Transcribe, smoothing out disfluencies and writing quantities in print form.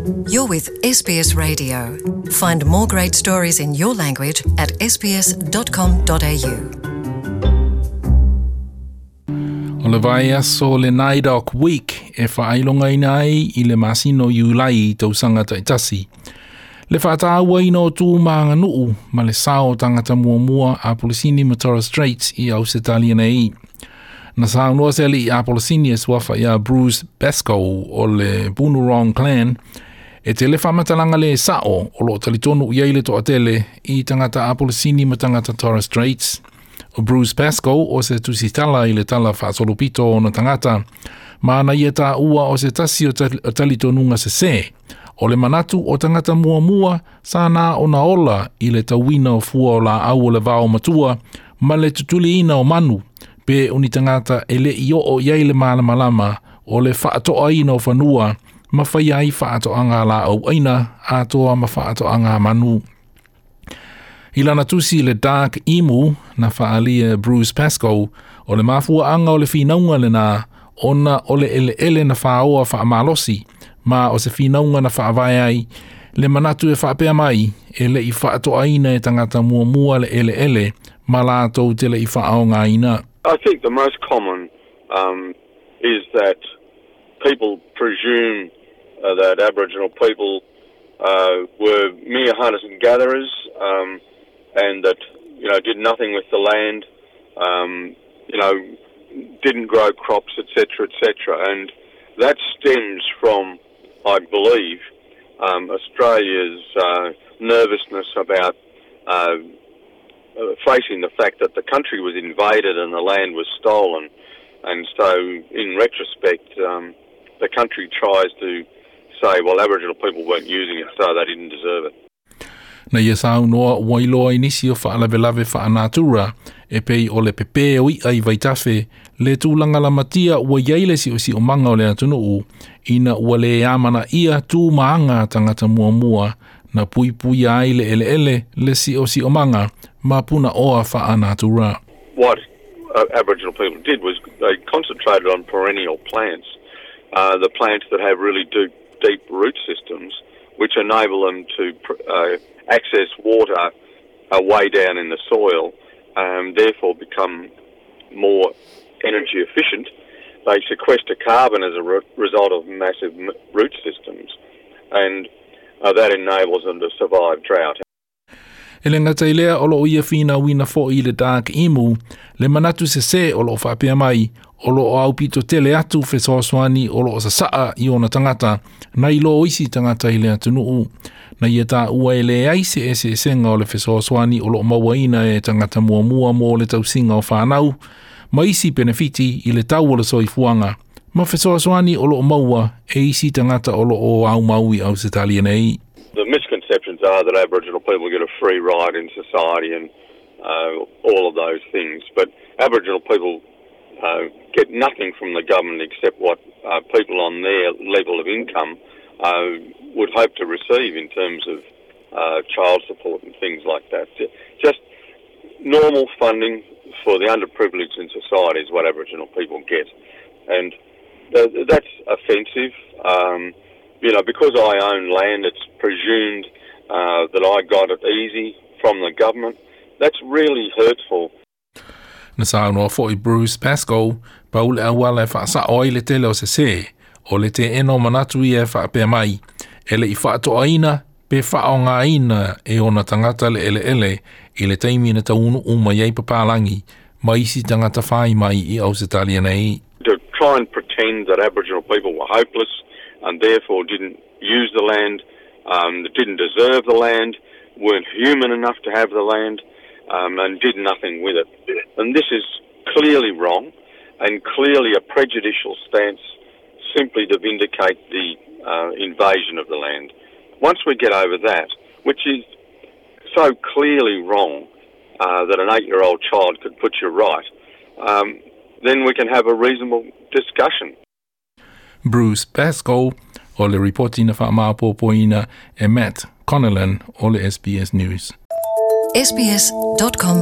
You're with SBS Radio. Find more great stories in your language at sbs.com.au. O le vaiaso le NAIDOC Week e faailogaina ai i le masina o Iulai i tausaga taitasi. Le faatauaina o tu ma aganuu ma le sao o tagata muamua Apolisini ma Torres Straits i Ausetalia nei. Na saunoa se alii Apolisini e suafa ia Bruce Pascoe o le Bunurong Clan e tele faamatalaga le sa'o o loo talitonu i ai le toatele i tagata Apolisini ma tagata Torres Straits. O Bruce Pascoe o se tusitala i le tala faasolopito o ona tagata ma na ia taua o se tasi o talitonuga sesē o le manatu o tagata muamua sa na ona ola i le tauina o fua o laau o le vao matua ma le tutuliina o manu pe o ni tagata e le i oo i ai le malamalama o le faatoaina o fanua ma faia ai faatoaga laau aina atoa ma faatoaga manu. I lana tusi le Dark Emu na faaalia Bruce Pascoe o le mafuaaga o le finauga lena ona o le eleele na faoa faamalosi ma o se finauga na faavae ai le manatu e faapea mai e le i faatoaina e tagata muamua le eleele ma latou te le i faaaogaina. I think the most common is that people presume that Aboriginal people were mere hunters and gatherers and that did nothing with the land, didn't grow crops, etc., etc. And that stems from, I believe, Australia's nervousness about facing the fact that the country was invaded and the land was stolen. And so, in retrospect, the country tries to say, well, Aboriginal people weren't using it, so they didn't deserve it. Na ia saunoa ua iloa i nisi o faalavelave faanatura e pei o le pepē o i'a i vaitafe le tulaga lamatia ua i ai le siosiomaga o le atunuu ina ua lē amanaia tu ma aga a tagata muamua na puipuia ai le eleele le siosiomaga ma punaoa faanatura. What Aboriginal people did was they concentrated on perennial plants, the plants that have really deep, deep root systems, which enable them to access water way down in the soil, and therefore become more energy efficient. They sequester carbon as a result of massive root systems, and that enables them to survive drought. E le gata i lea o loo ia finauina fo'i le Dark Emu le manatu sesē o loo faapea mai o loo aupito tele atu fesoasoani o loo sasaa i ona tagata nai lo isi tagata i le atunuu. Na ia taua e leai se eseesega o le fesoasoani o loo mauaina e tagata muamua mo le tausiga o fanau ma isi penefiti i le tau o le soifuaga ma fesoasoani o loo maua e isi tagata o loo aumau i Ausetalia nei. The misconceptions are that Aboriginal people get a free ride in society and all of those things, but Aboriginal people get nothing from the government except what people on their level of income would hope to receive in terms of child support and things like that. Just normal funding for the underprivileged in society is what Aboriginal people get, and that's offensive. Because I own land, it's presumed that I got it easy from the government. That's really hurtful. Na saunoa fo'i Bruce Pascoe pau le auala e faasao ai le tele o sesē o le teena o manatu ia e faapea mai e le i faatoaina pe faaaogaina e ona tagata le eleele i le taimi na taunuu mai ai papalagi ma isi tagata fai mai i Ausetalia nei. To try and pretend that Aboriginal people were hopeless and therefore didn't use the land, didn't deserve the land, weren't human enough to have the land, and did nothing with it. And this is clearly wrong and clearly a prejudicial stance simply to vindicate the invasion of the land. Once we get over that, which is so clearly wrong that an 8-year-old child could put you right, then we can have a reasonable discussion. Bruce Pascoe o le ripoti na faamaopoopoina e Matt Connellan o le SBS News. sbs.com.au.